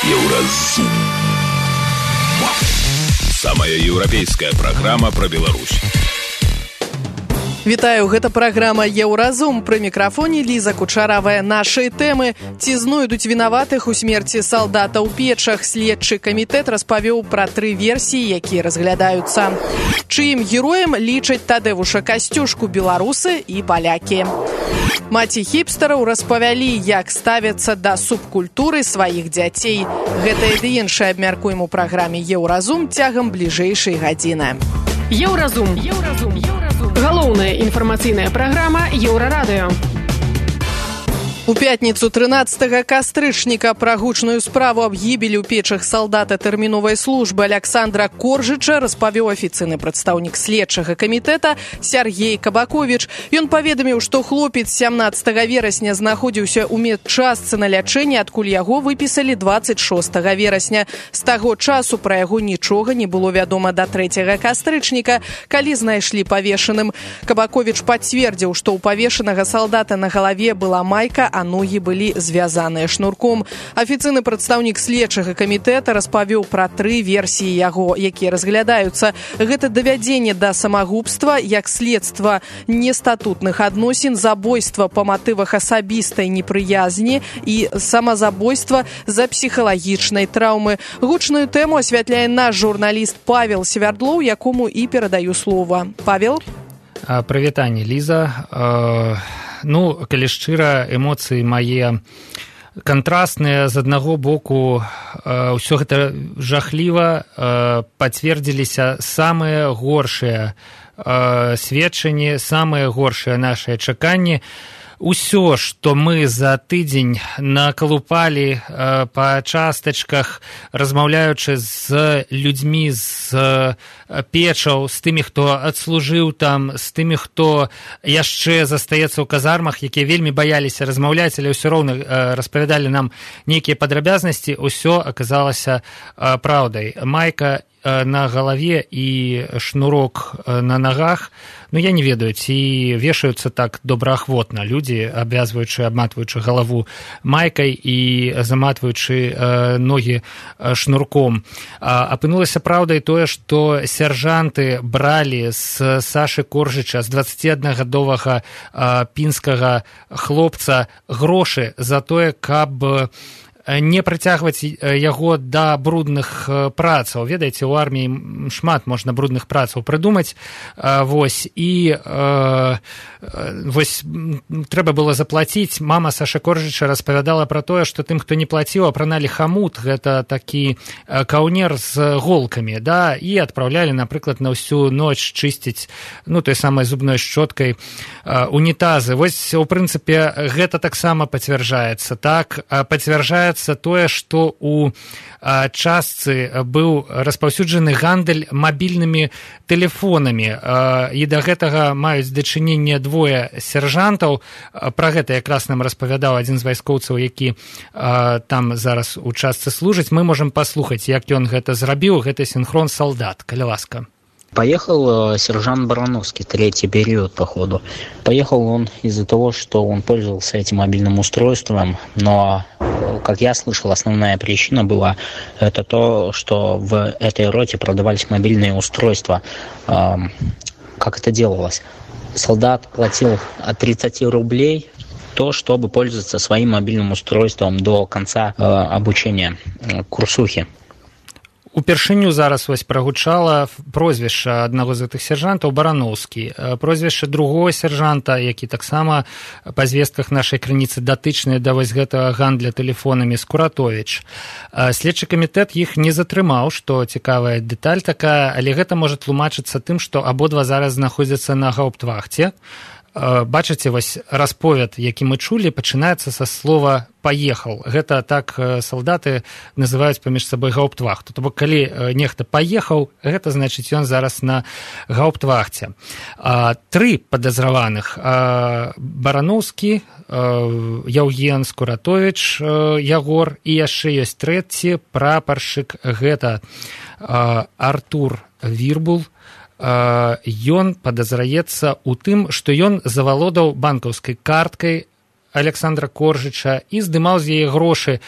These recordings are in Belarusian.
Еўразум. Самая еўрапейская праграма пра Беларусь. Вітаю, гэта праграма «Еўразум». Пры мікрафоне Ліза Кучаравая. Нашыя тэмы. Ці знойдуць вінаватых у смерці салдата ў Печах? Следчы камітэт распавёў пра 3 версіі, якія разглядаюцца. Чыім героем лічаць Тадэвуша Касцюшку беларусы і палякі. Маці хіпстараў распавялі, як ставяцца да субкультуры сваіх дзяцей. Гэта і іншае абмяркуем у праграме «Еўразум» цягам бліжэйшай гадзіны. Еўразум. Галоўная інфармацыйная праграма Еўрарадыё. У пятніцу 13 кастрычніка пра гучную справу аб гібелі ў Печах салдата тэрміновай службы Аляксандра Коржыча распавёў афіцыйны прадстаўнік следчага камітэта Сяргей Кабаковіч. Ён паведаміў, што хлопец 17 верасня знаходзіўся ў медчастцы на лячэнні, адкуль яго выпісалі 26 верасня. З таго часу пра яго нічога не было вядома да 3 кастрычніка, калі знайшлі павешаным. Кабаковіч пацвердзіў, што ў павешанага салдата на галаве была майка, а ногі былі звязаныя шнурком. Афіцыйны прадстаўнік следчага камітэта распавёў пра 3 версіі яго, якія разглядаюцца. Гэта давядзенне да самагубства, як следства нестатутных адносін, забойства па матывах асабістай непрыязні і самазабойства з-за псіхалагічнай траўмы. Гучную тэму асвятляе наш журналіст Павел Свярдлоў, якому і перадаю слова. Павел? Прывітанне, Ліза. Калі шчыра, эмоцыі мае кантрастныя. З аднаго боку, ўсё гэта жахліва, пацвердзіліся самыя горшыя сведчанні, самыя горшыя нашыя чаканні. Усё, што мы за тыдзень накалупалі па частачках, размаўляючы з людзьмі з Печаў, з тымі, хто адслужыў там, з тымі, хто яшчэ застаецца ў казармах, якія вельмі баяліся размаўляць, але ўсё роўна распавядалі нам нейкія падрабязнасці, усё аказалася праўдай. Майка на галаве і шнурок на нагах, я не ведаю, ці вешаюцца так добраахвотна людзі, абвязваючы, абматваючы галаву майкай і заматваючы ногі шнурком. Апынулася праўдай тое, што сяржанты бралі з Сашы Коржыча, з 21-гадовага пінскага хлопца, грошы за тое, каб не прыцягваць яго да брудных працаў. Ведаеце, у арміі шмат можна брудных працаў прыдумаць. Трэба было заплаціць. Мама Саша Коржыча распавядала пра тое, што тым, хто не плаціў, апраналі хамут, гэта такі каўнер з голкамі, і адпраўлялі, напрыклад, на ўсю ноч чысціць, той самай зубной шчоткай унітазы. У прынцыпе, гэта таксама пацвярджаецца. Так, пацвярджаецца тое, што у частцы быў распаўсюджаны гандаль мабільнымі тэлефонамі, і да гэтага маюць дачыненне 2 сяржантаў. Пра гэта якраз нам распавядаў адзін з вайскоўцаў, які там зараз у частцы служыць. Мы можам паслухаць, як ён гэта зрабіў. Гэта синхрон солдат. Калі ласка. Поехал сержант Барановский, 3-й период, походу. Поехал он из-за того, что он пользовался этим мобильным устройством, но, как я слышал, основная причина была это то, что в этой роте продавались мобильные устройства. Как это делалось? Солдат платил от 30 рублей то, чтобы пользоваться своим мобильным устройством до конца обучения курсухи. Упершыню зараз прагучала прозвішча аднаго з гэтых сяржантаў Барановскі, прозвішча другого сяржанта, які таксама па звестках нашай крыніцы датычныя да гэтага гандля тэлефонамі, Скуратовіч. Следчы камітэт іх не затрымаў, што цікавая дэталь такая, але гэта можа тлумачыцца тым, што абодва зараз знаходзяцца на гауптвахце. Бачыце, расповед, які мы чулі, пачынаецца са слова «паехал». Гэта так салдаты называюць паміж сабой гауптвахту. То бок, калі нехта паехаў, гэта значыць, ён зараз на гауптвахце. 3 падазраваных: Барановскі, Яўген, Скуратовіч, Ягор, і яшчэ ёсць 3-ці прапаршчык, гэта Артур Вірбул. Ён падазраецца ў тым, што ён завалодаў банкаўскай карткай Александра Коржыча і здымаў з яе грошы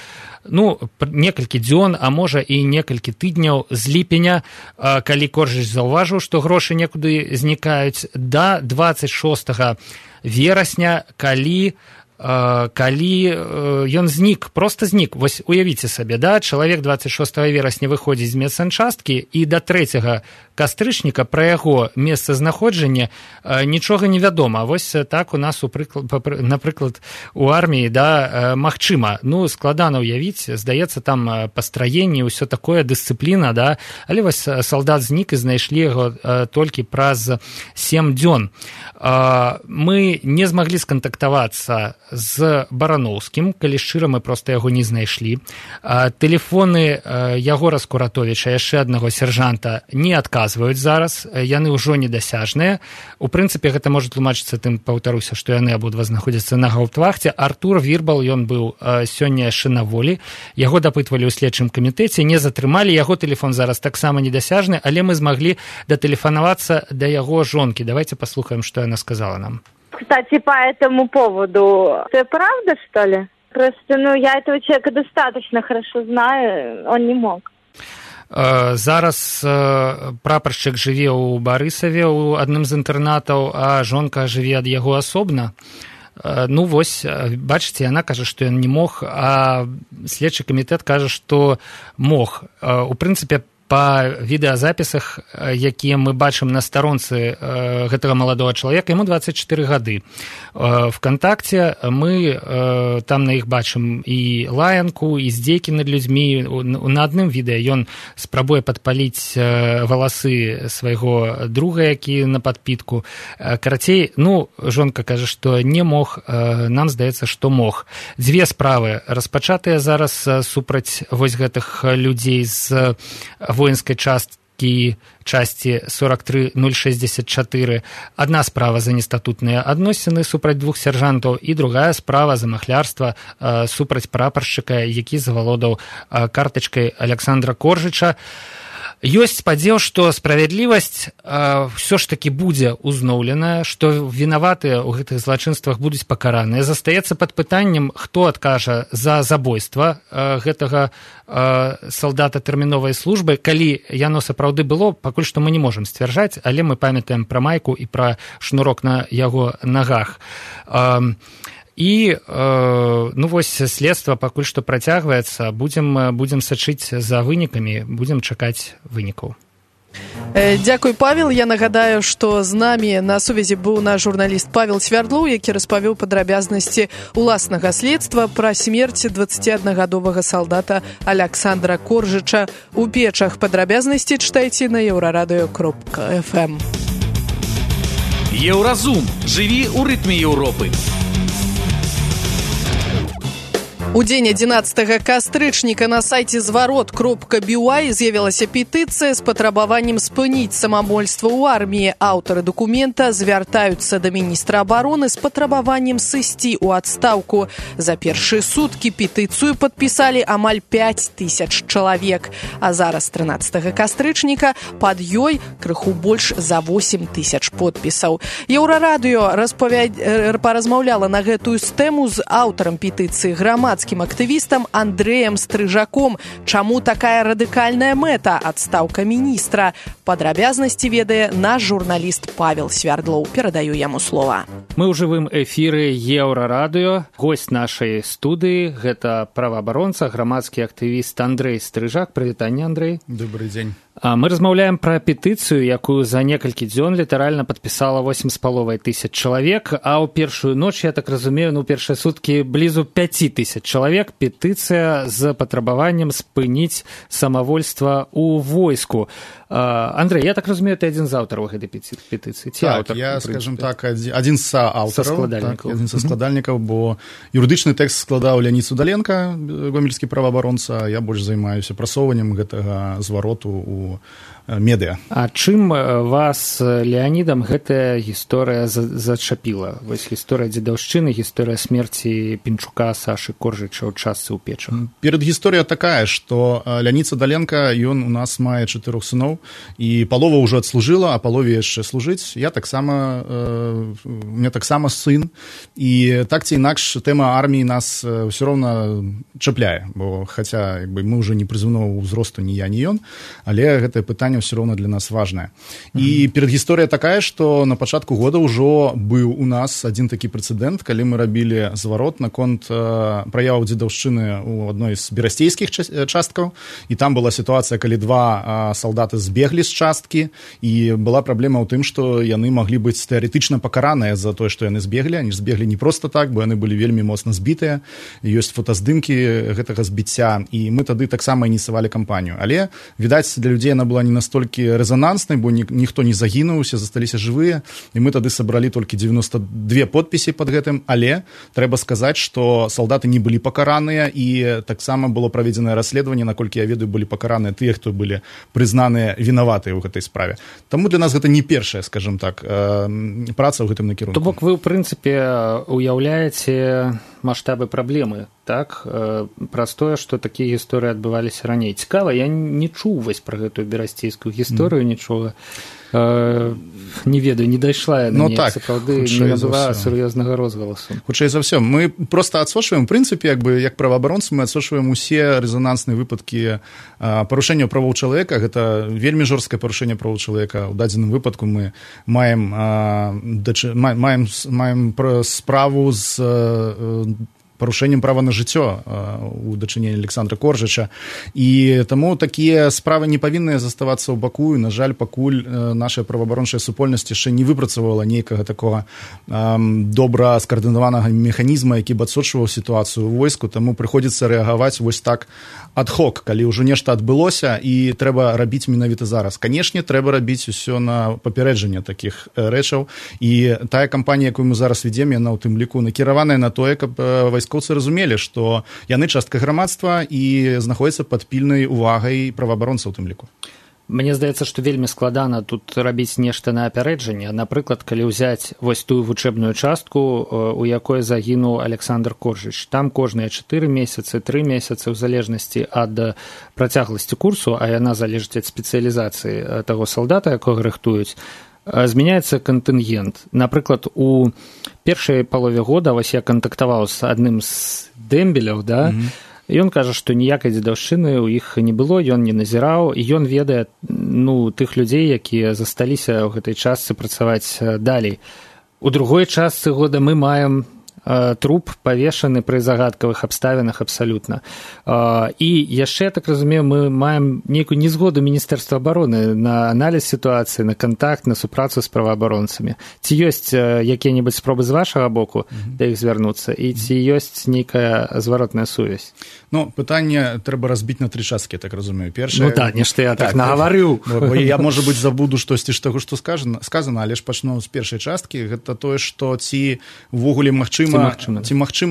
некалькі дзён, а можа і некалькі тыдняў з ліпеня, калі Коржыч заўважыў, што грошы некуды знікаюць, да 26 верасня, калі ён знік, проста знік. Вось уявіце сабе, чалавек 26 верасня выходзіць з медсанчасткі і да 3 кастрычніка пра яго месцазнаходжанне нічога не вядома. Вось так у нас, напрыклад, у арміі, магчыма. Складана ўявіць, здаецца, там пастраенне, ўсё такое, дысцыпліна, але вось салдат знік і знайшлі яго толькі праз 7 дзён. Мы не змаглі скантактавацца з Бараноўскім, калі шчыра, мы проста яго не знайшлі. Тэлефоны Ягора Скуратовіча, яшчэ аднаго сяржанта, не адказваюць зараз, яны ўжо недасяжныя. У прынцыпе, гэта можа тлумачыцца тым, паўтаруся, што яны абодва знаходзяцца на гаўптвахце. Артур Вірбал, ён быў сёння яшчэ на волі, яго дапытвалі ў следчым камітэце, не затрымалі, яго тэлефон зараз таксама недасяжны, але мы змаглі датэлефанавацца да яго жонкі. Давайте паслухаем, што яна сказала нам. Кстати, по этому поводу, это правда, что ли? Просто, я этого человека достаточно хорошо знаю, он не мог. Зараз прапаршчык жыве ў Барысаве, у адным з інтэрнатаў, а жонка жыве ад яго асобна. Вось, бачыце, яна кажа, што ён не мог, а следчы камітэт кажа, што мог. У прынцыпе, па відэазапісах, якія мы бачым на старонцы гэтага маладога чалавека, яму 24 гады. ВКонтакце мы там на іх бачым і лаянку, і здзекі над людзьмі. На адным відэа ён спрабуе падпаліць валасы свайго друга, які на падпітку. Карацей, жонка кажа, што не мог, нам здаецца, што мог. Дзве справы распачатыя зараз супраць вось гэтых людзей з воинской часці 43064. Одна справа за нестатутныя адносіны супраць двух сяржантаў і другая справа за махлярства супраць прапаршчыка, які завалодаў картачкай Александра Коржыча. Ёсць спадзеў, што справядлівасць ўсё ж такі будзе узноўленая, што вінаватыя ў гэтых злачынствах будуць пакараныя. Застаецца пад пытаннем, хто адкажа за забойства гэтага салдата тэрміновай службы. Калі яно сапраўды было, пакуль што мы не можам сцвярджаць, але мы памятаем пра майку і пра шнурок на яго нагах. І вось следства пакуль што працягваецца, будзем сачыць за вынікамі, будзем чакаць вынікаў. Дзякуй, Павел. Я нагадаю, што з намі на сувязі быў наш журналіст Павел Свярдлоў, які распавёў падрабязнасці ўласнага следства пра смерць 21гадовага салдата Александра Коржыча у Печах. Падрабязнасці чытайце на еўрарадыё.фм. Еўразум. Жыві ў рытме Еўропы. У дзень 11 кастрычніка на сайце зварот.by з'явілася петыцыя з патрабаваннем спыніць самавольства ў арміі. Аўтары дакумента звяртаюцца да міністра абароны з патрабаваннем сысці ў адстаўку. За першыя суткі петыцыю падпісалі амаль 5000 чалавек. А зараз, 13 кастрычніка, пад ёй крыху больш за 8000 подпісаў. Еўрарадыё паразмаўляла на гэтую тэму з аўтарам петыцыі грамадскім актывістам Андрэем Стрыжаком. Чаму такая радыкальная мэта – адстаўка міністра? Падрабязнасці ведае наш журналіст Павел Свярдлоў. Перадаю яму слова. Мы ў жывым эфіры Еўрарадыё. Госць нашай студыі – гэта праваабаронца, грамадскі актывіст Андрэй Стрыжак. Прывітанне, Андрэй. Добрый дзень. Мы размаўляем пра петыцыю, якую за некалькі дзён літаральна падпісала 8500 чалавек, а ў першую ноч, я так разумею, першыя суткі блізу 5000 чалавек. Петыцыя з патрабаваннем спыніць самавольства ў войску. Андрей, я так разумею, ты адзін з аўтараў гэтай петыцыі. Так, я, скажем так, адзін з аўтараў, адзін са складальнікаў, бо юрыдычны тэкст складаў Леонід Судаленко, гомельскі праваабаронца, я больш займаюся прасоўваннем гэтага звароту у медыа. А чым вас, Леанідам, гэтая гісторыя зачапіла? Вось гісторыя дзедаўшчыны, гісторыя смерці Пінчука, Сашы Коржыча ў частцы ў печах. Перад гісторыя такая, што Леанід Садаленка, ён у нас мае 4 сыноў, і палова ўжо адслужыла, а палове яшчэ служыць. У мяне таксама сын, і так ці інакш тэма арміі нас ўсё роўна чапляе, бо хаця мы ўжо не прызыўнога ўзросту ні я, ні ён, але гэтае пытанне ўсё роўна для нас важнае. І перад гісторыя такая, што на пачатку года ўжо быў у нас адзін такі прэцэдэнт, калі мы рабілі зварот наконт праяваў дзедаўшчыны ў адной з берасцейскіх часткаў, і там была сітуацыя, калі 2 салдаты збеглі з часткі, і была праблема ў тым, што яны маглі быць тэарэтычна пакараныя за тое, што яны збеглі. Они збеглі не проста так, бо яны былі вельмі моцна збітыя, ёсць фотаздымкі гэтага збіцця, і мы тады таксама ініцыявалі кампанію. Але, відаць, для людзей яна была не настолькі рэзананснай, бо ніхто не загінуў, усе засталіся жывыя, і мы тады сабралі толькі 92 подпісы пад гэтым, але трэба сказаць, што салдаты не былі пакараныя, і таксама было праведзенае расследаванне, наколькі я ведаю, былі пакараныя тыя, хто былі прызнаныя вінаватыя ў гэтай справе. Таму для нас гэта не першая, скажем так, праца ў гэтым накірунку. То бок вы, ў прынцыпе, уяўляеце маштабы праблемы, так? Праз тое, што такія гісторыі адбываліся раней. Цікава, я не чуў вось пра гэтую берасцейскую гісторыю, нічога. Не ведаю, не дайшла яна сапраўды, не набыла сур'ёзнага розгаласу. Хутчэй за ўсё. Мы проста адсочваем, в прынцыпе, як праваабаронцы, мы адсочваем усе рэзанансныя выпадкі парушэнняў правоў чалавека. Гэта вельмі жорсткае парушэнне правоў чалавека. У дадзеным выпадку мы маем справу з парушэннем права на жыццё у дачыненні Александра Коржыча. І таму такія справы не павінны заставацца ў баку, і, на жаль, пакуль наша праваабарончая супольнасць яшчэ не выпрацавала нейкага такога добра скаардынаванага механізма, які б адсочваў сітуацыю ў войску, таму прыходзіцца рэагаваць вось так ад-хок, калі ўжо нешта адбылося, і трэба рабіць менавіта зараз. Канешне, трэба рабіць усё на папярэджанне такіх рэчаў, і тая кампанія, якую мы зараз ведзем, яна ў тым ліку накіраваная на тое, каб вайскоўцы разумелі, што яны частка грамадства і знаходзяцца пад пільнай увагай праваабаронцаў у тым ліку. Мне здаецца, што вельмі складана тут рабіць нешта на апярэджанне. Напрыклад, калі ўзяць вось тую вучэбную частку, у якой загінуў Александр Коржыч. Там кожныя 4 месяцы, 3 месяцы, ў залежнасці ад працягласці курсу, а яна залежыць ад спецыялізацыі таго салдата, якога рыхтуюць, змяняецца кантынгент. Напрыклад, у першай палове года вось я кантактаваў з адным з дэмбеляў, да, ён кажа, што ніякай дзедаўшчыны ў іх не было, ён не назіраў, і ён ведае тых людзей, якія засталіся ў гэтай частцы працаваць далей. У другой частцы года мы маем труп павешаны пры загадкавых абставінах абсалютна. І яшчэ, я так разумею, мы маем нейкую незгоду Міністэрства абароны на аналіз сітуацыі, на кантакт, на супрацу з праваабаронцамі. Ці ёсць якія-небудзь спробы з вашага боку да іх звярнуцца, і ці ёсць нейкая зваротная сувязь? Пытанне трэба разбіць на 3 часткі, так разумею. Першае... нешта я так нагаварыў. Я, можа быць, забуду штосьці з таго, што сказана, але ж пачну з першай часткі. Гэта тое, што ці ўвогуле магчыма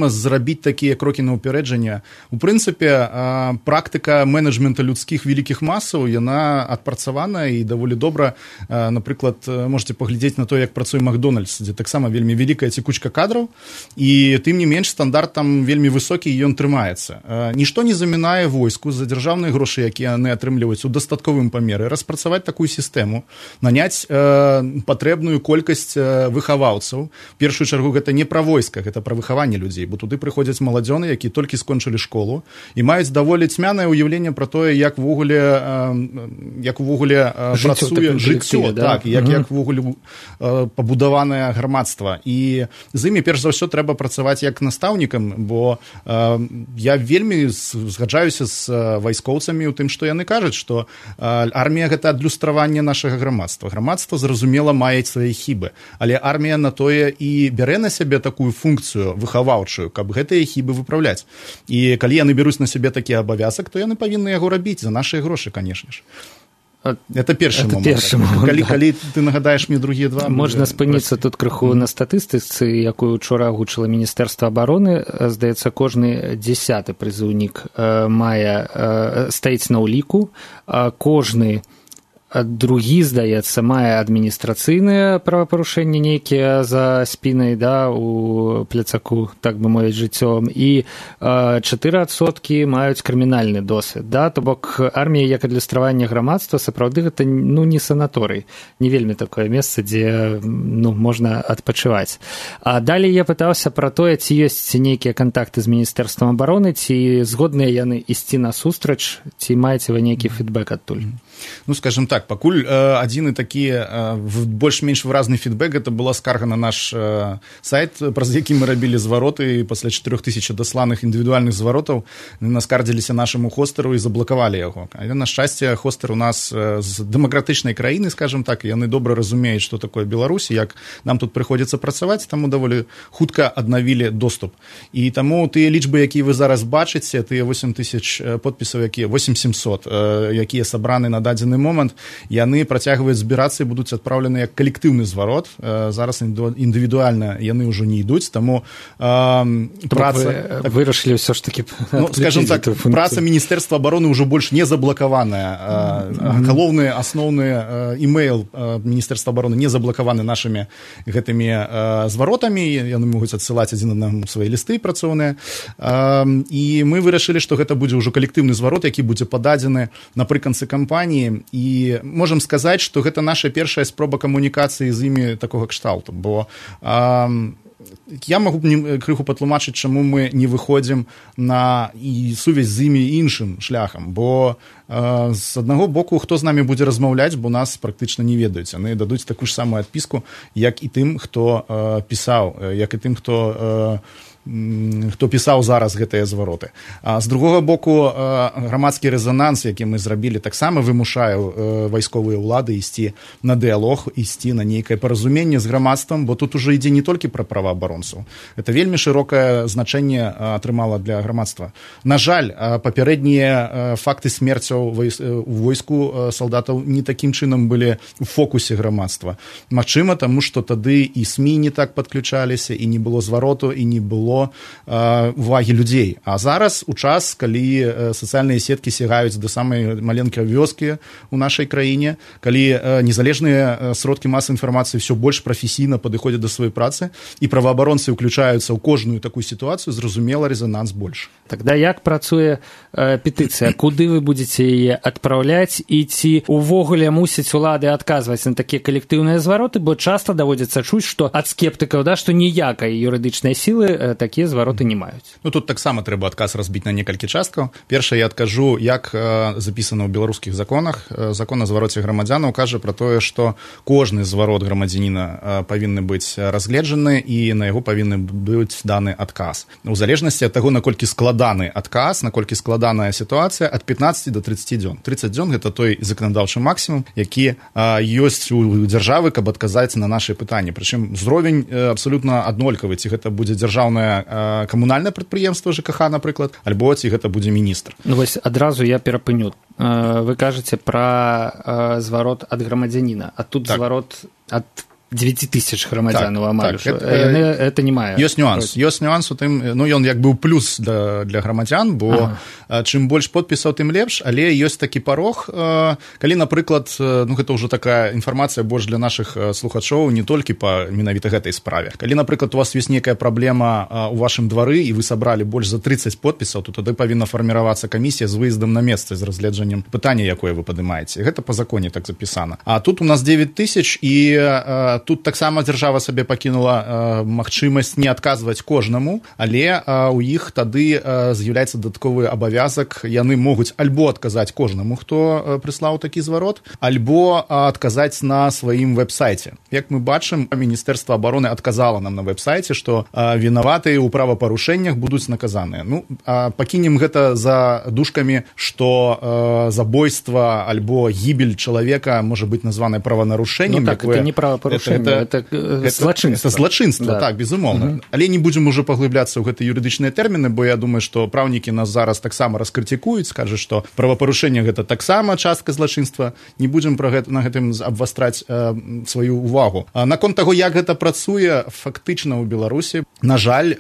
зрабіць такія крокі на ўпярэджанне. У прынцыпе, практыка менеджмента людскіх вялікіх масаў, яна адпрацавана і даволі добра. Напрыклад, можете паглядзець на то, як працуе Макдональдс, дзе таксама вельмі вялікая цікучка кадраў, і тым не менш стандарт там вельмі высокі, і ён трымаецца. Нішто не замінае войску за дзяржаўныя грошы, якія яны атрымліваюць у дастатковым памеры, распрацаваць такую сістэму, наняць патрэбную колькасць выхаваўцаў. В першую чаргу гэта не пра войска, гэта пра выхаванне людзей, бо туды прыходзяць маладзёны, якія толькі скончылі школу і маюць даволі цьмянае ўяўленне пра тое, як увогуле працуе жыццё, так, як увогуле пабудаванае грамадства. І з імі перш за ўсё трэба працаваць як настаўнікам, бо я вельмі згаджаюся з вайскоўцамі ў тым, што яны кажуць, што армія гэта адлюстраванне нашага грамадства. Грамадства, зразумела, мае свае хібы, але армія на тое і бярэ на сябе такую функцыю выхаваўчую, каб гэтыя хібы выпраўляць. І калі яны бяруць на сябе такі абавязак, то яны павінны яго рабіць за нашыя грошы, канешне ж. Это першы момент. Калі ты нагадаеш мне другія два... Можна спыніцца тут крыху на статыстыцы, якую учора агучыла Міністэрства абароны. Здаецца, кожны 10-ы прызыўнік стаіць на ўліку. Кожны другі, здаецца, мае адміністрацыйныя правапарушэнні нейкія за спінай, да, у пляцаку, так бы мовіць, жыццёвым, і 4% маюць крымінальны досвед, да, то бок армія як адлюстраванне грамадства, сапраўды гэта, ну, не санаторый, не вельмі такое месца, дзе, ну, можна адпачываць. А далей я пытаўся пра тое, ці ёсць нейкія кантакты з Міністэрствам абароны, ці згодныя яны ісці насустрач, ці маеце вы нейкі фідбэк адтуль? Ну, скажем так, пакуль адзіны такі больш-менш выразны фідбэк, это была скарга на наш сайт, праз які мы рабілі звароты, і пасля 4000 дасланых індывідуальных зваротаў наскардзіліся нашаму хостару і заблакавалі яго. Але, на шчасце, хостар у нас з дэмакратычнай краіны, скажем так, яны добра разумеюць, што такое Беларусь, як нам тут прыходзіцца працаваць, таму даволі хутка аднавілі доступ. І таму тыя лічбы, якія вы зараз бачыце, тыя 8000 подпісаў, 8700, якія сабраны на дадзены момант, яны працягваюць збірацца і будуць адпраўлены як калектыўны зварот. Зараз індывідуальна яны ўжо не ідуць, таму праца... Вырашылі ўсё ж такі... Ну, скажем так, праца Міністэрства абароны ўжо больш не заблакаваная. Галоўны, асноўны імейл Міністэрства абароны не заблакаваны нашымі гэтымі зваротамі, яны могуць адсылаць адзін аднаму свае лісты працоўныя. І мы вырашылі, што гэта будзе ўжо калектыўны зварот, які будзе пададзены напрыканцы кампаніі, і можам сказаць, што гэта наша першая спроба камунікацыі з імі такога кшталту, бо я магу крыху патлумачыць, чаму мы не выходзім на сувязь з імі іншым шляхам, бо з аднаго боку, хто з намі будзе размаўляць, бо нас практычна не ведаюць, яны дадуць такую ж самую адпіску, як і тым, хто пісаў, як і тым, хто пісаў зараз гэтыя звароты. А з другога боку, грамадскі рэзананс, які мы зрабілі, таксама вымушае вайсковыя ўлады ісці на дыялог, ісці на нейкае паразуменне з грамадствам, бо тут ужо ідзе не толькі пра праваабаронцаў. Гэта вельмі шырокае значэнне атрымала для грамадства. На жаль, папярэднія факты смерцяў у войску салдатаў не такім чынам былі у фокусе грамадства. Магчыма, таму што тады і СМІ не так падключаліся, і не было звароту, і не было увагі людзей. А зараз, у час, калі сацыяльныя сеткі сягаюць да самай маленькай вёскі ў нашай краіне, калі незалежныя сродкі масавай інфармацыі ўсё больш прафесійна падыходзяць да сваёй працы, і праваабаронцы ўключаюцца ў кожную такую сітуацыю, зразумела, рэзананс больш. Тогда як працуе петыцыя? Куды вы будзеце яе адпраўляць, і ці увогуле мусяць улады адказваць на такія калектыўныя звароты, бо часта даводзіцца чуць, што ад скептыкаў, да, што ніякай юрыдычнай сілы такія звароты не маюць. Ну, тут таксама трэба адказ разбіць на некалькі часткаў. Першае, я адкажу, як запісана ў беларускіх законах. Закон о звароце грамадзянаў кажа пра тое, што кожны зварот грамадзяніна павінны быць разгледжаны, і на яго павінны быць даны адказ. У залежнасці ад таго, наколькі складаны адказ, наколькі складаная сітуацыя, ад 15 до 30 дзён. 30 дзён – гэта той заканадаўчы максімум, які ёсць у дзяржавы, каб адказаць на нашы пытанні. Прычым узровень абсалютна аднолькавы, ці гэта будзе дзяржаўная камунальнае прадпрыемства ЖКХ, напрыклад, альбо ці гэта будзе міністр. Ну вось адразу я перапыню. Вы кажаце пра зварот ад грамадзяніна, а тут так. Зварот ад 9000 грамадзянаў амаль. Так, это не мае. Ёсць нюанс у тым, ну ён як бы плюс для грамадзян, бо чым больш подпісаў, тым лепш, але ёсць такі парог, калі, напрыклад, ну гэта ўжо такая інфармацыя больш для нашых слухачоў, не толькі па менавіта гэтай справе. Калі, напрыклад, у вас ёсць нейкая праблема у вашым двары, і вы сабралі больш за 30 подпісаў, то тады павінна фарміравацца камісія з выездам на месца, з разгляджаннем пытання, якое вы падымаеце. Гэта па законе так запісана. А тут у нас 9000, і тут таксама дзяржава сабе пакінула магчымасць не адказваць кожнаму, але у іх тады з'яўляецца дадатковы абавязак, яны могуць альбо адказаць кожнаму, хто прыслаў такі зварот, альбо адказаць на сваім вэб-сайце. Як мы бачым, Міністэрства абароны адказала нам на вэб-сайце, што вінаватыя ў правапарушэннях будуць наказаныя. Ну, пакінем гэта за дужкамі, што забойства альбо гібель чалавека можа быць названае праванарушэннем. Ну так, это не правапарушэнне. это злачынства, так, безумоўна. Але не будзем уже паглыбляцца ў гэтыя юрыдычныя тэрміны, бо я думаю, што праўнікі нас зараз таксама раскрытыкуюць, скажуць, што правапарушэнне гэта таксама частка злачынства. Не будзем на гэтым абвастраць сваю увагу. Наконт таго, як гэта працуе фактычна ў Беларусі, на жаль,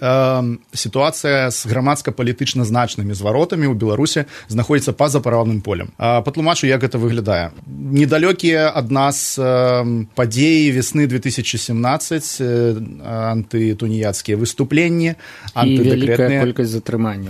сітуацыя з грамадска-палітычна значнымі зваротамі ў Беларусі знаходзіцца па-за правным полем. Патлумачу, як гэта выглядае. Недалёкія ад нас падзеі весны 2017, антытуніяцкія выступленні, антыдэкрэтныя...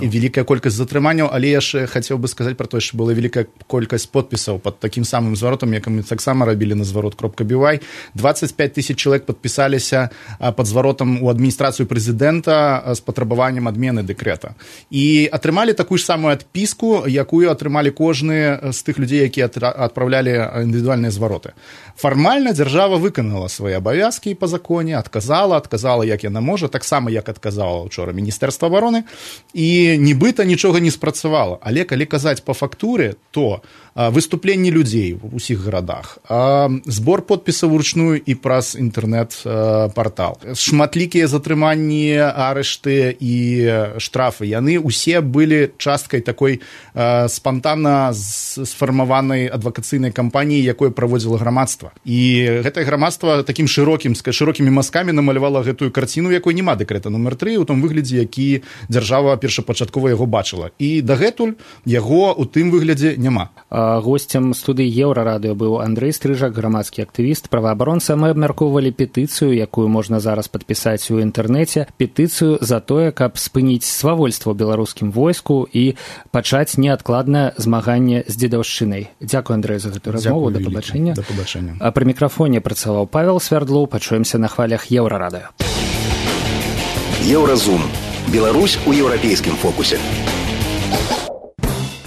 І вялікая колькасць затрыманняў, але я яшчэ хацеў бы сказаць пра тое, што была вялікая колькасць подпісаў пад такім самым зваротам, як мы таксама рабілі на зварот.бівай. 25 000 чалавек падпісаліся пад зваротам у адміністрацыю прэзідэнта з патрабаваннем адмены дэкрэта. І атрымалі такую ж самую адпіску, якую атрымалі кожны з тых людзей, якія адпраўлялі індывідуальныя звароты. Фармальна дзяржава выканала свае абавязкі па законе, адказала, як яна можа, таксама, як адказала учора Міністэрства абароны, і нібыта нічога не спрацавала. Але калі казаць па фактуры, то выступленні людзей у ўсіх гарадах, збор подпісаў уручную і праз інтэрнэт-партал, шматлікія затрыманні, арышты і штрафы, яны ўсе былі часткай такой спантанна сфармаванай адвакацыйнай кампаніі, якое праводзіла грамадства. І гэтае грамадства такім шырокімі мазкамі намалявала гэтую карціну, якой няма дэкрэта нумар 3 у том выглядзе, які дзяржава першапачаткова яго бачыла. І дагэтуль яго ў тым выглядзе няма. Госцем студыі Еўрарадыё быў Андрэй Стрыжак, грамадскі актывіст, праваабаронца. Мы абмяркоўвалі петыцыю, якую можна зараз падпісаць у інтэрнэце, петыцыю за тое, каб спыніць свавольства ў беларускім войску і пачаць неадкладнае змаганне з дзедаўшчынай. Дзякуй, Андрэй, за гэтую размову. Да пабачэння. Да пабачэння. А пры мікрафоне працаваў Павел Свярдлоў. Пачуемся на хвалях Еўрарадыё. Еўразум. Беларусь у еўрапейскім фокусе.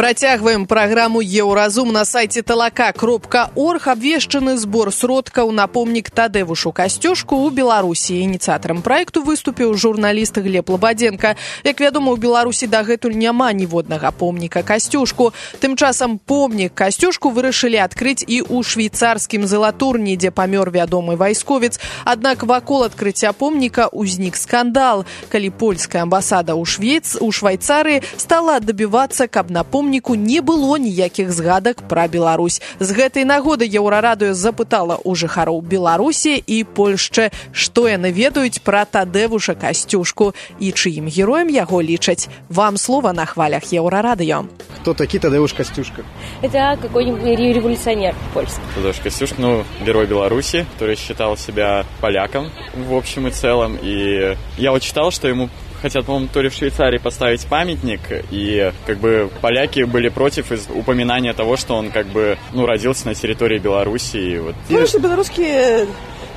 Працягваем праграму «Еўразум» на сайце тлк.орг. Абвешчаны збор сродкаў на помнік Тадэвушу Касцюшку ў Беларусі. Ініцыятарам праекту выступіў журналіст Глеб Лабадзенка. Як вядома, у Беларусі дагэтуль няма ніводнага помніка Касцюшку. Тым часам помнік Касцюшку вырашылі адкрыць і ў швейцарскім Залатурні, дзе памёр вядомы вайсковец. Аднак вакол адкрыцця помніка ўзнік скандал, калі польская амбасада ў Швайцарыі стала дабівацца, каб на помніку не было ніякіх згадак пра Беларусь. З гэтай нагоды Еўрарадыё запытала ў жыхароў Беларусі і Польшчы, што яны ведаюць пра Тадэвуша Касцюшку і чыім героем яго лічаць. Вам слова на хвалях Еўрарадыё. Кто такие Тадэвуш Костюшка? Это какой-нибудь революционер польский. Тадeusz Костюшка, герой Беларуси, который считал себя поляком в общем и целом. И я вот читал, что ему хотят, по-моему, то ли в Швейцарии поставить памятник, и как бы поляки были против упоминания того, что он как бы, родился на территории Беларуси. И вот. Слушай, белорусские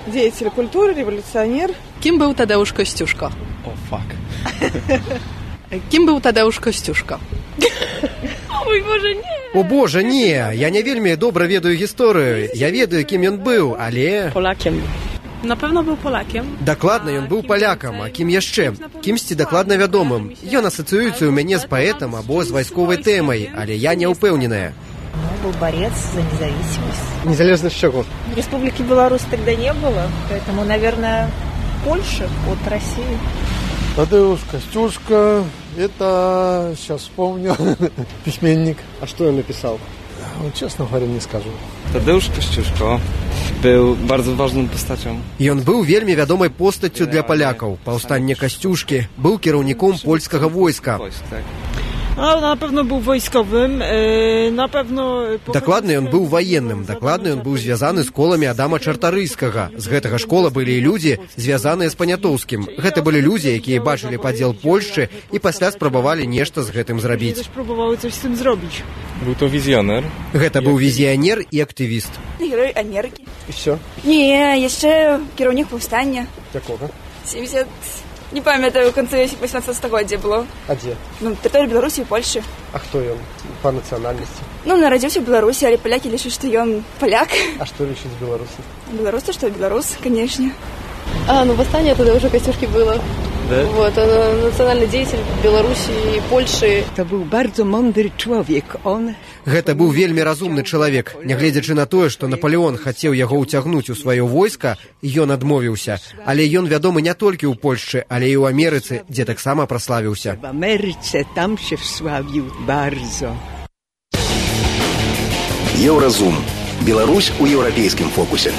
деятели культуры, революционер. Кім быў Тадэуш Касцюшка? О, фак. Кім быў Тадэуш Касцюшка? Ой, боже, не. О, боже, не. Я не вельмі добра ведаю гісторыю. Я ведаю, кім ён быў, але... Полакем. Напэўна, быў полакем. Дакладна, ён быў палякам, а кім яшчэ? Кімсьці дакладна вядомым. Ён асацыюецца ў мяне з паэтам або з вайсковай тэмай, але я не ўпэўненая. Был борец за независимость. Незалежность чего? Республики Беларусь тогда не было, поэтому, наверное, Польша от России. Тадeusz Костюшка, это, сейчас вспомню, письменник. А что он написал? Честно говоря, не скажу. Тадeusz Костюшка był bardzo ważną postacią. Ён быў вельмі вядомай постаццю для палякаў. Паўстанне Касцюшкі, быў кіраўніком польскага войска. На pewno był wojskowym, na pewno... Дакладна ён быў ваенным, дакладна ён быў звязаны з коламі Адама Чартарыйскага. З гэтага школа былі і людзі, звязаныя з Панятоўскім. Гэта былі людзі, якія бачылі падзел Польшчы і пасля спрабавалі нешта з гэтым зрабіць. Спрабавалі coś z tym zrobić. Był to wizjoner. Гэта быў візіянер і актывіст. Герой Америки. І все? Не, яшчэ кіраўнік паўстання. Якога? 70... Не памятаю, в конце 18 стагоддзя было. А дзе? На тэрыторыі Беларусі і Польшчы. А хто ён па нацыянальнасці? Нарадзіўся ў Беларусі, але палякі лічаць, што ён паляк. А што лічаць беларусы? Беларусы, што беларус, канешне. Восстание Тадeuша Костюшки было Да? Вот, он национальный деятель Беларуси и Польши. Это был bardzo mądry człowiek. Гэта быў вельмі разумны чалавек. Нягледзячы на тое, што Наполеон хацеў яго ўцягнуць у сваё войска, ён адмовіўся. Але ён вядомы не толькі ў Польшчы, але і ў Амерыцы, дзе таксама праславіўся. В Амерыцы там się wsławił bardzo. Еўразум. Беларусь у еўрапейскім фокусе.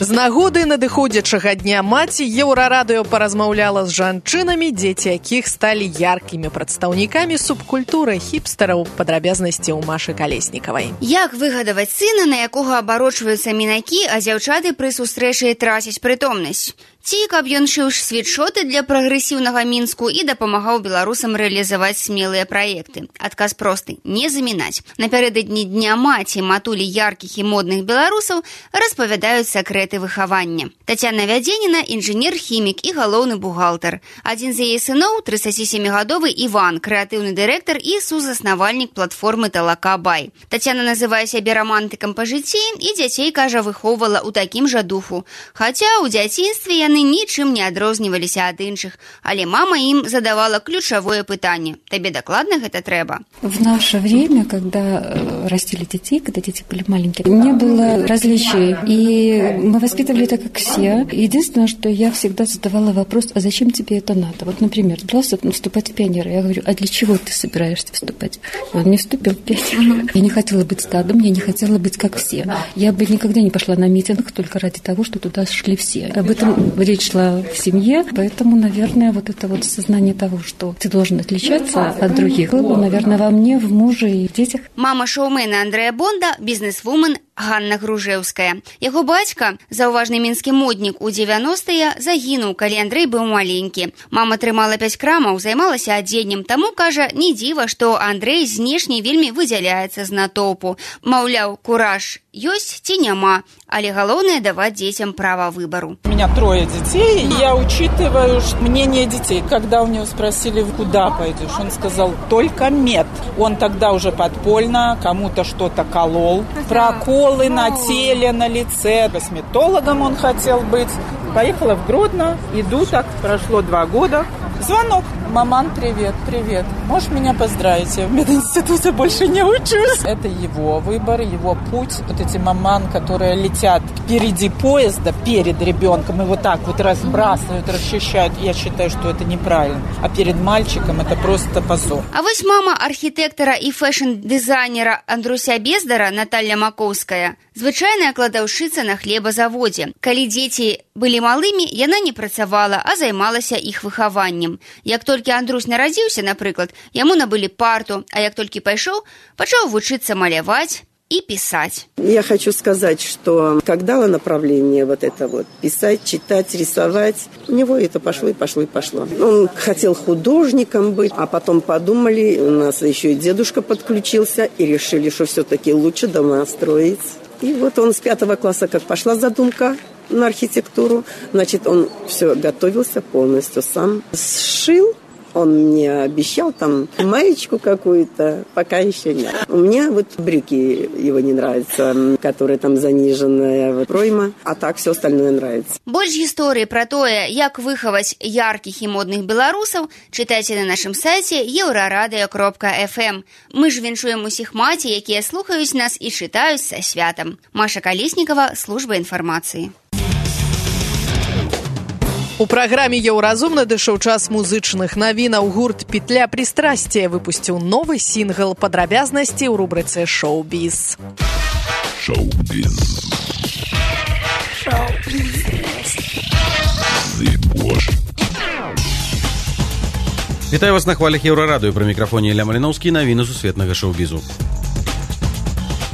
З нагоды надыходзячага дня маці Еўрарадыё паразмаўляла з жанчынамі, дзеці якіх сталі яркімі прадстаўнікамі субкультуры хіпстараў. Падрабязнасці ў Машы Калеснікавай. Як выгадаваць сына, на якога абарочваюцца мінакі, а дзяўчаты пры сустрэчы трацяць прытомнасць? Ці каб ён шыў світшоты для прагрэсіўнага Мінску і дапамагаў беларусам рэалізаваць смелыя праекты? Адказ просты – не замінаць. Напярэдадні Дня маці матулі яркіх і модных беларусаў распавядаюць сакрэты выхавання. Тацяна Вядзеніна – інжынер-хімік і галоўны бухгалтар. Адзін з яе сыноў – 37-гадовы Іван, крэатыўны дырэктар і сузаснавальнік платформы «Талака Бай». Тацяна называе сябе рамантыкам па жыцці і дзяцей, кажа, выхоўвала ў такім жа духу. Хаця ў дзяцінстве яны нічым не адрозніваліся ад іншых, але мама ім задавала ключавое пытанне: табе дакладна гэта трэба? В наше время, когда растили детей, когда дети были маленькие, не было различий, и мы воспитывали так, как все. Единственное, что я всегда задавала вопрос: а зачем тебе это надо? Вот, например, собрался вступать в пионеры. Я говорю: а для чего ты собираешься вступать? Он не вступил в пионеры. Я не хотела быть стадом, я не хотела быть как все. Я бы никогда не пошла на митинг только ради того, что туда шли все. Об этом речь шла в семье, поэтому, наверное, вот это вот сознание того, что ты должен отличаться от других, было, наверное, во мне, в муже и в детях. Мама шоумена Андрэя Бонда – бізнесвумен Ганна Гружэўская. Яго бацька, заўважны мінскі моднік у 90-е, загінуў, калі Андрэй быў маленькі. Мама трымала 5 крамаў, займалася адзеннем, таму, кажа, не дзіва, што Андрэй знешне вельмі выдзяляецца з натоўпу. Маўляў, кураж ёсць ці няма, але галоўнае даваць дзецям права выбору. У меня 3 детей, и я учитываю мнение детей. Когда у него спросили, куда пойдешь, он сказал: только мед. Он тогда уже подпольно кому-то что-то колол. Проколы на теле, на лице. Косметологом он хотел быть. Поехала в Гродно, иду так, прошло 2 года. Звонок. Маман, привет, привет. Можешь меня поздравить? Я в мединституте больше не учусь. Это его выбор, его путь. Вот эти маман, которые летят впереди поезда, перед ребенком, и вот так вот разбрасывают, расчищают. Я считаю, что это неправильно. А перед мальчиком это просто позор. А вось мама архітэктара і фэшн-дызайнера Андруся Бездара Наталья Маковская звычайная кладаўшчыца на хлебазаводзе. Калі дзеці былі малымі, яна не працавала, а займалася іх выхаваннем. Як толькі Андрусь нарадзіўся, напрыклад, яму набылі парту, а як толькі пайшоў, пачаў вучыцца маляваць и писать. Я хочу сказать, что как дало направление вот это вот писать, читать, рисовать, у него это пошло и пошло и пошло. Он хотел художником быть, а потом подумали, у нас еще и дедушка подключился, и решили, что все-таки лучше дома строить. И вот он с 5 класса, как пошла задумка на архитектуру, значит, он все готовился полностью сам, сшил. Он мне обещал там маечку какую-то, пока еще нет. У меня вот брюки его не нравятся, которые там заниженная пройма, а так все остальное нравится. Больш гісторыі пра тое, як выхаваць яркіх і модных беларусаў, чытайце на нашым сайце euraradыё.fm. Мы ж віншуем усіх маці, якія слухаюць нас і чытаюць са святам. Маша Калеснікава, служба інфармацыі. У праграме «Еўразум» надышоў час музычных навінаў. Гурт «Петля пристрастия» выпусціў новы сінгл. Падрабязнасці ў рубрыцы «Шоу-біз». Шоу-біз. Вітаю вас на хвалях Еўрарадыё. Пры мікрафоне Ілля Маліноўскі, навіны сусветнага шоу-бізу.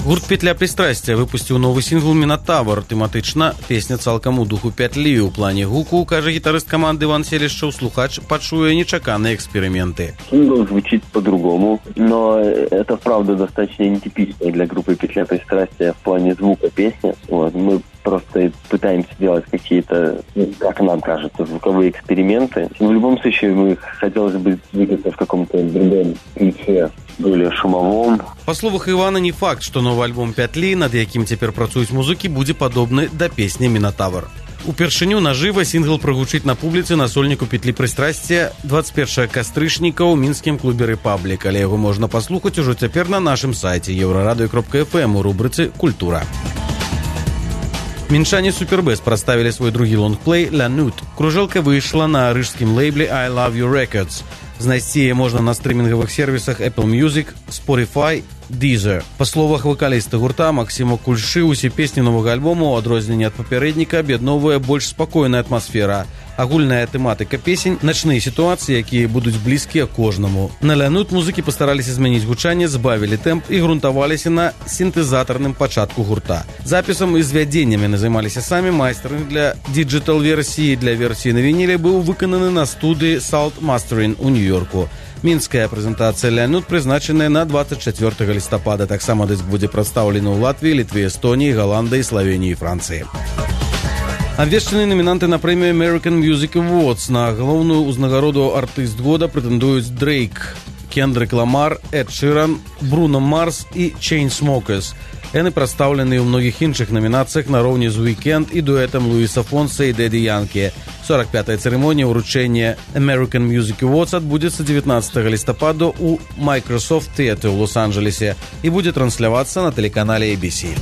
Гурт «Петля пристрастия» выпусціў новы сінгл «Мінатавр». Тэматычна песня цалкам у духу пятлі. У плане гуку, кажа гітарыст каманды Іван Селішчаў, слухач пачуе нечаканыя эксперименты. Сингл звучит по-другому, но это правда достаточно нетипично для группы «Петля пристрастия» в плане звука песни. Вот. Мы просто пытаемся делать какие-то, как нам кажется, звуковые эксперименты. В любом случае, мы хотелось бы двигаться в каком-то другом ключе, более шумовом. Па словах Івана, не факт, што новы альбом «Пятлі», над якім цяпер працуюць музыкі, будзе падобны да песні «Мінатавр». Упершыню нажыва сінгл прагучыць на публіцы на сольніку петлі прыстрасця 21 кастрычніка ў мінскім клубе «Рэпаблік», але яго можна паслухаць ужо цяпер на нашым сайце euraradыё.fm у рубрыцы «Культура». Мінчане Супербэс прадставілі свой другі лонгплей «La Nude». Кружэлка выйшла на рыжскім лейбле «I Love You Records». Знайсці яе можна на стрымінгавых сервісах Apple Music, Spotify, Deezer. Па словах вакаліста гурта Максіма Кульшы, усе песні новага альбому, у адрозненне ад папярэдніка, аб'ядноўвае больш спакойная атмасфера. Агульная тэматыка песень, начныя сітуацыі, якія будуць блізкія кожнаму. На «La Nude» музыкі пастараліся змяніць гучанне, збавілі тэмп і грунтаваліся на сінтэзатарным пачатку гурта. Запісам і звядзеннем яны займаліся самі. Майстэрынг для дыджытал-версіі, для версіі на вініле быў выкананы на студыі Salt Mastering у Нью-Йорку. Мінская прэзентацыя «La Nude» прызначаная на 24 лістапада. Таксама дыск будзе прадстаўлены ў Латвіі, Літве, Эстоніі, Галандыі, Славеніі і Францыі. Абвешчаныя намінанты на прэмію American Music Awards. На галоўную ўзнагароду артыст года прэтэндуюць Дрейк, Кендрик Ламар, Эд Ширан, Бруно Марс і Chainsmokers. Яны прадстаўлены ў многіх іншых намінацыях нароўні з Weekend і дуэтам Луіса Фонса і Дэдді Янкі. 45-я цырымонія ўручэння American Music Awards адбудзецца 19 лістапада ў Microsoft Theatre ў Лос-Анджелесе і будзе транслявацца на тэлеканале ABC.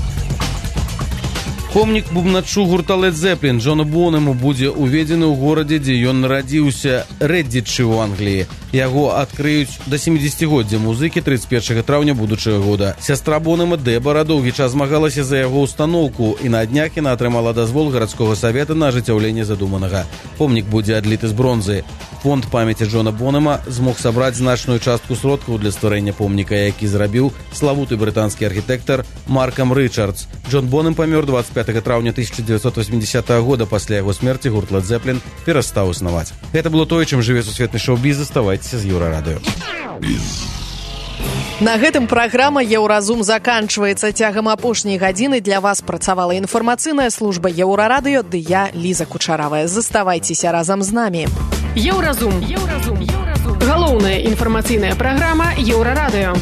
Помнік бубначу гурта Led Zeppelin Джону Бонэму будзе уведзены ў горадзе, дзе ён нарадзіўся, Рэддзічы ў Англіі. Яго адкрыюць да 70-годдзя музыкі 31 траўня будучага года. Сястра Бонэма Дэбара доўгі час змагалася за яго ўстаноўку, і на днях яна атрымала дазвол гарадскога савета на ажыццяўленне задуманага. Помнік будзе адліты з бронзы. Фонд памяці Джона Бонэма змог сабраць значную частку сродкаў для стварэння помніка, які зрабіў славуты брытанскі архітэктар Маркам Рычардс. Джон Бонэм памёр 25 траўня 1980 года. Пасля яго смерці гурт Led Zeppelin перастаў існаваць. Гэта было тое, чым жыве сусветны шоу-біз. Заставайцеся з Еўрарадыё. На гэтым праграма «Еўразум» заканчваецца. Цягам апошняй гадзіны для вас працавала інфармацыйная служба Еўрарадыё, ды я, Ліза Кучаравая. Заставайцеся разам з намі. Еўразум. Галоўная інфармацыйная праграма Еўрарадыё.